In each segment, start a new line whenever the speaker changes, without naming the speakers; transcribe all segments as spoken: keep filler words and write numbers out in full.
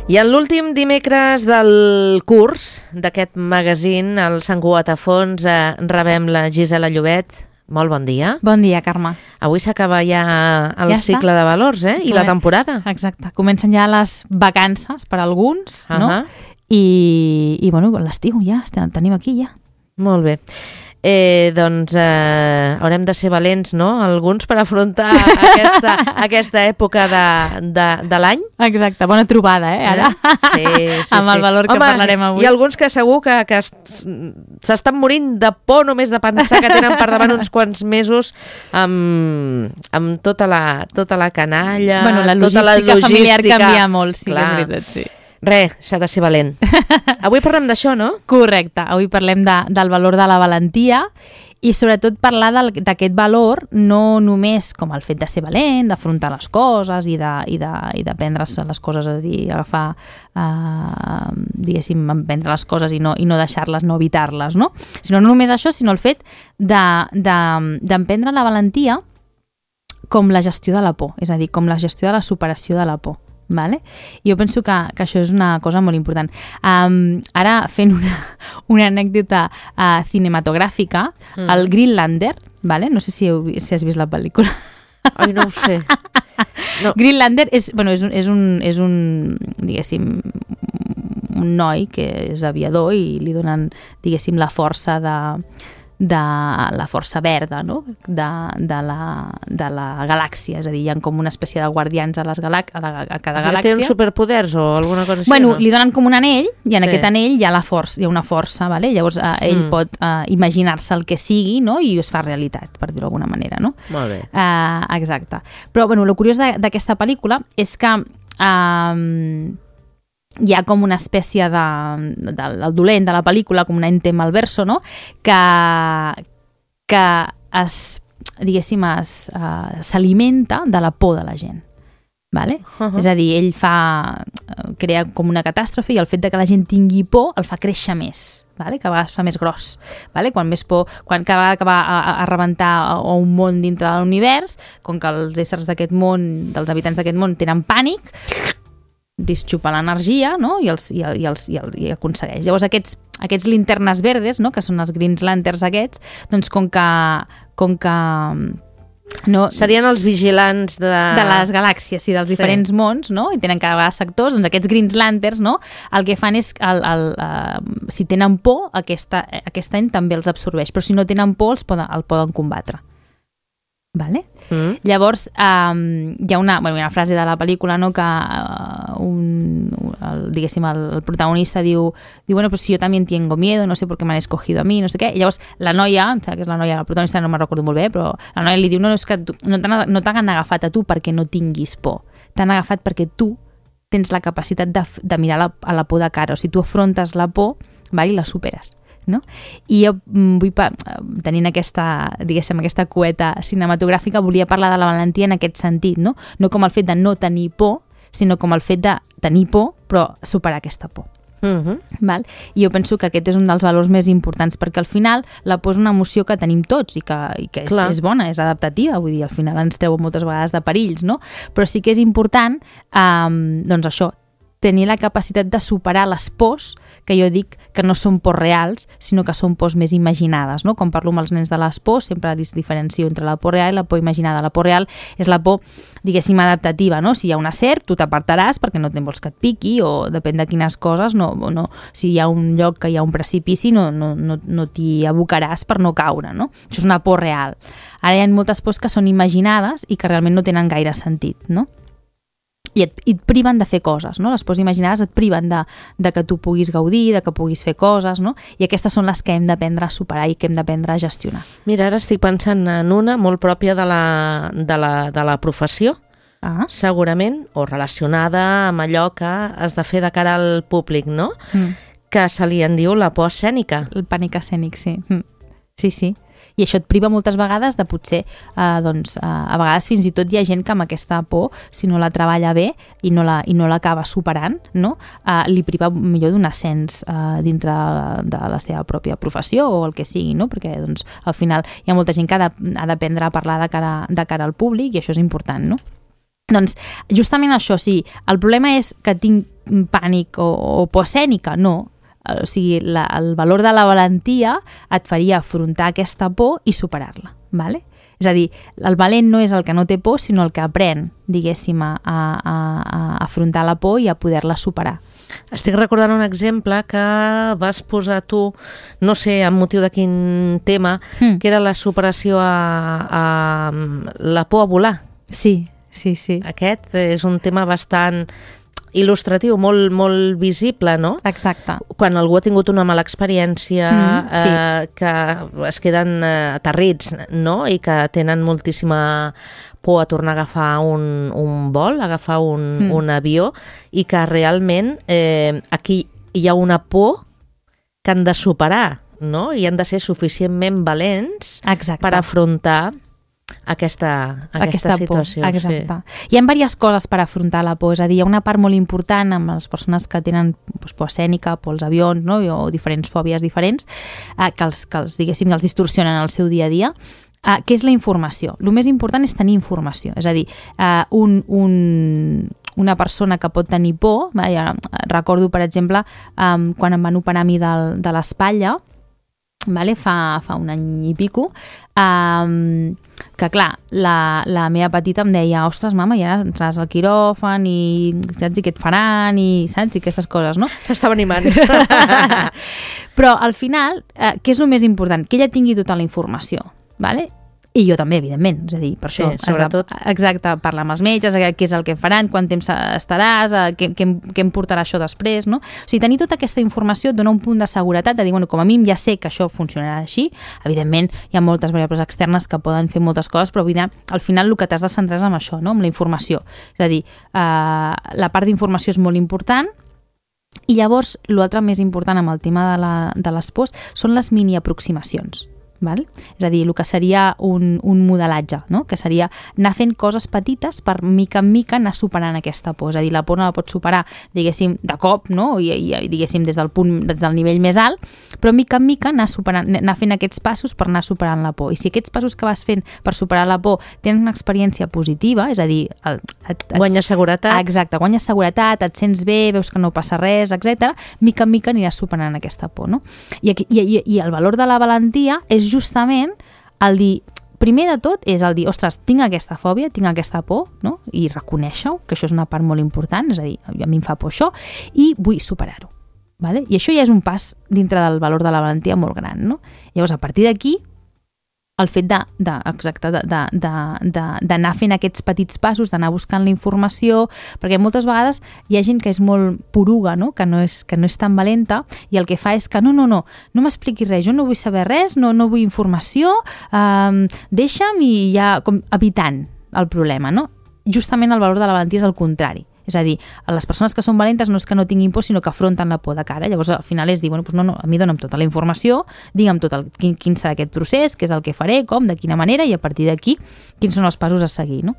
I en l'últim dimecres del curs d'aquest magazín, el Sant Cugat a fons, eh, rebem la Gisela Llobet. Molt bon dia.
Bon dia, Carme.
Avui s'acaba ja el
ja
cicle
està.
de valors, eh? I la temporada.
Exacte. Comencen ja les vacances per a alguns, uh -huh. no? I, i bueno, l'estiu ja, tenim aquí ja.
Molt bé. Eh, doncs eh, haurem de ser valents, no?, alguns, per afrontar aquesta, aquesta època de, de, de l'any.
Exacte, bona trobada, eh, ara,
sí, sí,
amb el
sí.
valor que
Home,
parlarem avui.
Hi ha alguns que segur que, que s'estan morint de por només de pensar que tenen per davant uns quants mesos amb, amb tota, la, tota la canalla,
bueno, la
tota la
logística familiar
logística.
canvia molt, sí,
Clar.
és veritat, sí.
Res, s'ha de ser valent. Avui parlem d'això, no?
Correcte, avui parlem de, del valor de la valentia i sobretot parlar d'aquest valor no només com el fet de ser valent, d'afrontar les coses i de, i de, i de prendre les coses, és a dir, agafar, eh, diguéssim, prendre les coses i no, i no deixar-les, no evitar-les, no? Sinó no només això, sinó el fet d'emprendre de, de, la valentia com la gestió de la por, és a dir, com la gestió de la superació de la por. Vale? Jo penso que, que això és una cosa molt important. Um, ara, fent una, una anècdota uh, cinematogràfica, mm. el Greenlander, vale? No sé si, heu, si has vist la pel·lícula.
Ai, no ho sé. No.
Greenlander és, bueno, és, un, és, un, és un, diguéssim, un noi que és aviador i li donen, diguéssim, la força de... de la força verda, no? de, de, la, de la galàxia, és a dir, hi ha com una espècie de guardians a, les galac a, la, a cada galàxia.
Té uns superpoders o alguna cosa així?
Bueno,
no?
li donen com un anell i en
sí.
aquest anell hi ha, la força, hi ha una força, vale? Llavors eh, ell mm. pot eh, imaginar-se el que sigui, no? I es fa realitat, per dir-ho d'alguna manera. No?
Molt bé.
Eh, exacte. Però bueno, el curiós d'aquesta pel·lícula és que eh, hi ha com una espècie de, de, del dolent de la pel·lícula, com un ente malverso, no? que, que es, diguéssim, es, uh, s'alimenta de la por de la gent. Vale? Uh-huh. És a dir, ell fa, crea com una catàstrofe i el fet de que la gent tingui por el fa créixer més, vale? Que a vegades fa més gros. Vale? Quan més por, quan cada vegada que va a, a rebentar a un món dintre de l'univers, com que els éssers d'aquest món, dels habitants d'aquest món, tenen pànic, disxupa l'energia, no? I, els, i, i, els, i, el, i aconsegueix. Llavors aquests, aquests linternes verdes, no? Que són els Green Lanterns aquests, doncs com que, com que no,
serien els vigilants de...
de les galàxies i dels diferents sí. mons, no? I tenen cada vegada sectors, doncs aquests Green Lanterns, no? El que fan és, el, el, uh, si tenen por, aquesta, aquest any també els absorbeix, però si no tenen por, els poden, el poden combatre. Vale? Mm. Llavors um, hi ha una, bueno, una frase de la pel·lícula, no, que uh, un, el, diguéssim, el, el protagonista diu, diu bueno, pues si yo también tengo miedo, no sé por qué me han escogido a mí, no sé què. I llavors la noia, em sembla que és la noia, la protagonista no me'n recordo molt bé, però la noia li diu no, no és que tu, no t'han no t'han agafat a tu perquè no tinguis por, t'han agafat perquè tu tens la capacitat de, de mirar la, a la por de cara, o sigui, tu afrontes la por, va, i la superes. No? I jo vull, tenint aquesta, diguéssim, aquesta cueta cinematogràfica, volia parlar de la valentia en aquest sentit, no? No com el fet de no tenir por, sinó com el fet de tenir por, però superar aquesta por. Uh-huh. Val? I jo penso que aquest és un dels valors més importants, perquè al final la por és una emoció que tenim tots i que, i que és, és bona, és adaptativa, vull dir, al final ens treu moltes vegades de perills, no? Però sí que és important, um, doncs això, tenir la capacitat de superar les pors, que jo dic que no són pors reals, sinó que són pors més imaginades, no? Quan parlo amb els nens de les pors, sempre es diferencio entre la por real i la por imaginada. La por real és la por, diguéssim, adaptativa, no? Si hi ha una serp, tu t'apartaràs perquè no te'n vols que et piqui, o depèn de quines coses, no, no, si hi ha un lloc que hi ha un precipici, no, no, no, no t'hi abocaràs per no caure, no? Això és una por real. Ara hi ha moltes pors que són imaginades i que realment no tenen gaire sentit, no? I et, i et priven de fer coses, no? Les pors imaginades et priven de, de que tu puguis gaudir, de que puguis fer coses, no? I aquestes són les que hem d'aprendre a superar i que hem d'aprendre a gestionar.
Mira, ara estic pensant en una molt pròpia de la, de la, de la professió, ah. segurament, o relacionada amb allò que has de fer de cara al públic, no? Mm. Que se li en diu la por escènica.
El pànic escènic, sí. Mm. Sí, sí. I això et priva moltes vegades de potser, eh, doncs, eh, a vegades fins i tot hi ha gent que amb aquesta por, si no la treballa bé i no la, i no l'acaba superant, no? eh, li priva millor d'un ascens eh, dintre de la seva pròpia professió o el que sigui, no? Perquè doncs, al final hi ha molta gent que ha d'aprendre a parlar de cara, de cara al públic i això és important, no? Doncs justament això, sí, el problema és que tinc pànic o, o por escènica, no. O sigui, la, el valor de la valentia et faria afrontar aquesta por i superar-la, ¿vale? És a dir, el valent no és el que no té por, sinó el que aprèn, diguéssim, a, a, a afrontar la por i a poder-la superar.
Estic recordant un exemple que vas posar tu, no sé amb motiu de quin tema, mm. que era la superació a, a la por a volar.
Sí, sí, sí.
Aquest és un tema bastant il·lustratiu, molt, molt visible, no?
Exacte.
Quan algú ha tingut una mala experiència, mm, sí. eh, que es queden eh, aterrits, no? I que tenen moltíssima por a tornar a agafar un, un vol, a agafar un, mm. un avió, i que realment eh, aquí hi ha una por que han de superar, no? I han de ser suficientment valents
Exacte.
Per afrontar aquesta, aquesta, aquesta situació.
Por. Exacte. Sí. Hi ha diverses coses per afrontar la por, és a dir, hi ha una part molt important amb les persones que tenen doncs, por escènica, por als avions, no? O diferents fòbies diferents, eh, que, els, que els, diguéssim, els distorsionen el seu dia a dia, eh, que és la informació. El més important és tenir informació, és a dir, eh, un, un, una persona que pot tenir por, eh, ja recordo, per exemple, eh, quan em van operar a mi de, de l'espatlla, vale? fa, fa un any i pico, um, que clar, la, la meva petita em deia, ostres, mama, ja entraràs al quiròfan i saps i què et faran i saps i aquestes coses, no?
T'estava animant.
Però al final, eh, què és el més important? Que ella tingui tota la informació, vale? I jo també, evidentment, és a dir, per
sí,
això
sobretot.
De, exacte, parlar amb els metges, què és el que faran, quant temps estaràs, què, què, què em portarà això després, no? O sigui, tenir tota aquesta informació et dona un punt de seguretat, de dir, bueno, com a mínim ja sé que això funcionarà així, evidentment hi ha moltes variables externes que poden fer moltes coses, però vull dir, al final el que t'has de centrar és amb això, no? Amb la informació. És a dir, eh, la part d'informació és molt important, i llavors l'altre més important amb el tema de, la, de les pors són les mini aproximacions. Val? És a dir, el que seria un, un modelatge, no? Que seria anar fent coses petites per mica en mica anar superant aquesta por. És a dir, la por no la pots superar, diguéssim, de cop, no? I, i diguéssim, des del punt, des del nivell més alt, però mica en mica anar, superant, anar fent aquests passos per anar superant la por. I si aquests passos que vas fent per superar la por tens una experiència positiva, és a dir... El, et, et,
guanyes seguretat.
Exacte, guanyes seguretat, et sents bé, veus que no passa res, etcètera. Mica en mica aniràs superant aquesta por, no? I, i, i, i el valor de la valentia és justament el dir, primer de tot és el dir, ostres, tinc aquesta fòbia, tinc aquesta por, no? I reconèixer-ho, que això és una part molt important, és a dir, a mi em fa por això, i vull superar-ho. Vale? I això ja és un pas dintre del valor de la valentia molt gran, no? Llavors, a partir d'aquí, el fet de, de, exacte, d'anar fent aquests petits passos, d'anar buscant la informació, perquè moltes vegades hi ha gent que és molt poruga, no? Que, no és, que no és tan valenta, i el que fa és que no, no, no, no m'expliquis res, jo no vull saber res, no, no vull informació, um, deixa'm i ja, com evitant el problema, no? Justament el valor de la valentia és el contrari. És a dir, les persones que són valentes no és que no tinguin por, sinó que afronten la por de cara. Llavors, al final és dir, bueno, doncs no, no, a mi dona'm tota la informació, digue'm tot el, quin, quin serà aquest procés, què és el que faré, com, de quina manera, i a partir d'aquí, quins són els passos a seguir, no?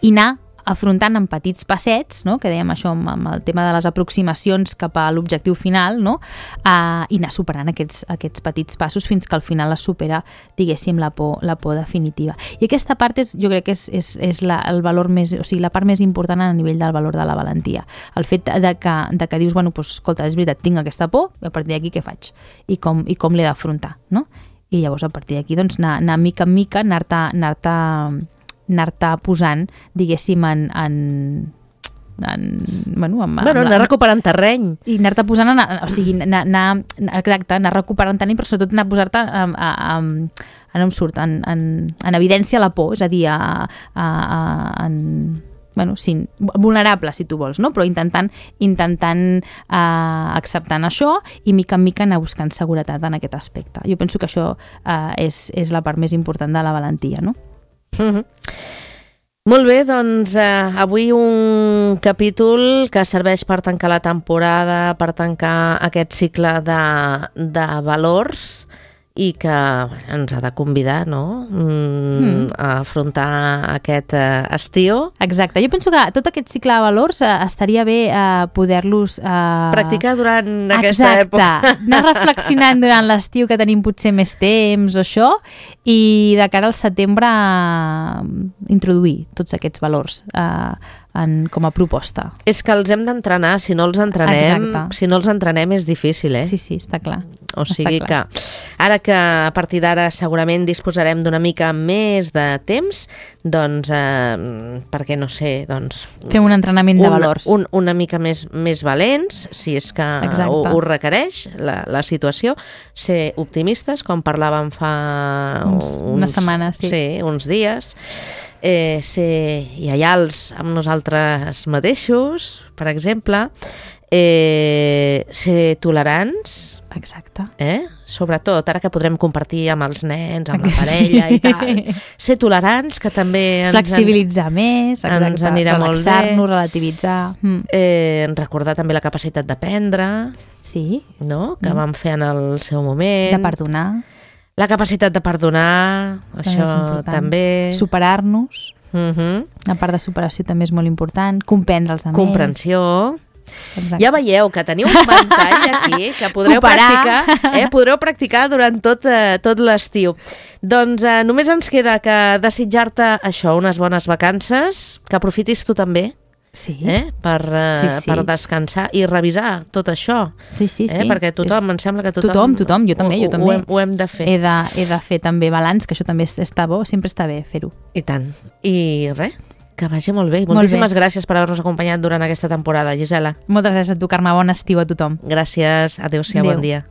I anar afrontant en petits passets, no? Que dèiem això amb, amb el tema de les aproximacions cap a l'objectiu final, no? Uh, i anar superant aquests, aquests petits passos fins que al final es supera, diguéssim, la por, la por definitiva. I aquesta part és, jo crec que és, és, és la, el valor més, o sigui, la part més important a nivell del valor de la valentia. El fet de que, de que dius, bueno, doncs, escolta, és veritat, tinc aquesta por, i a partir d'aquí què faig? I com, i com l'he d'afrontar, no? I llavors a partir d'aquí, doncs, anar, anar mica en mica, anar-te anar-te anar-te posant, diguéssim, en... en, en bueno, amb,
bueno,
amb,
anar recuperant terreny.
I anar-te posant, en, o sigui, anar, anar, exacte, anar recuperant terreny, però sobretot anar a posar-te en, en, en, en, surt, en, en, en evidència la por, és a dir, a, a, a, en... bueno, sí, vulnerable, si tu vols, no? Però intentant, intentant eh, acceptant això i mica en mica anar buscant seguretat en aquest aspecte. Jo penso que això eh, és, és la part més important de la valentia, no?
Mm-hmm. Molt bé, doncs eh, avui un capítol que serveix per tancar la temporada, per tancar aquest cicle de, de valors i que bueno, ens ha de convidar, no? Mm, mm. a afrontar aquest eh, estiu.
Exacte. Jo penso que tot aquest cicle de valors eh, estaria bé eh, poder-los... Eh...
practicar durant aquesta
Exacte.
època.
Anar reflexionant durant l'estiu, que tenim potser més temps o això, i de cara al setembre eh, introduir tots aquests valors eh, en, com a proposta.
És que els hem d'entrenar, si no els entrenem, Exacte. si no els entrenem és difícil, eh?
Sí, sí, està clar.
O sigui que ara que a partir d'ara segurament disposarem d'una mica més de temps, doncs, eh, perquè no sé, doncs...
Fem un entrenament de
un,
valors.
Un, una mica més, més valents, si és que ho, ho requereix la, la situació, ser optimistes, com parlàvem fa
uns, uns, una setmana, sí.
Sí, uns dies, eh, ser lleials amb nosaltres mateixos, per exemple, eh, ser tolerants.
Exacte.
Eh? Sobretot, ara que podrem compartir amb els nens, amb la parella sí. i tal. Ser tolerants, que també... Ens
Flexibilitzar en... més, exacte.
Ens anirà molt bé.
Relaxar-nos, relativitzar. Mm.
Eh, recordar també la capacitat d'aprendre.
Sí.
No? Que mm. vam fer en el seu moment.
De perdonar.
La capacitat de perdonar,
també
això també.
Superar-nos.
Uh-huh.
La part de superació també és molt important. Comprendre els altres.
Comprensió.
Exacte.
Ja veieu que teniu un ventall aquí que podreu
Cooperar.
practicar, eh? podreu practicar durant tot, eh, tot l'estiu. Doncs eh, només ens queda que desitjar-te això, unes bones vacances, que aprofitis tu també.
Sí.
Eh? Per, eh,
sí, sí.
per descansar i revisar tot això.
Sí, sí, sí.
Eh? Perquè tothom,
és...
em sembla que tothom...
Tothom, tothom, jo també,
ho,
jo també.
Ho hem, ho hem de fer.
He de, he de fer també balanç, que això també està bo, sempre està bé fer-ho.
I tant. I res, que vagi molt bé. Moltíssimes molt bé. Gràcies per haver-nos acompanyat durant aquesta temporada, Gisela.
Moltes gràcies a tu, Carme. Bon estiu a tothom.
Gràcies. Adéu-siau, bon dia.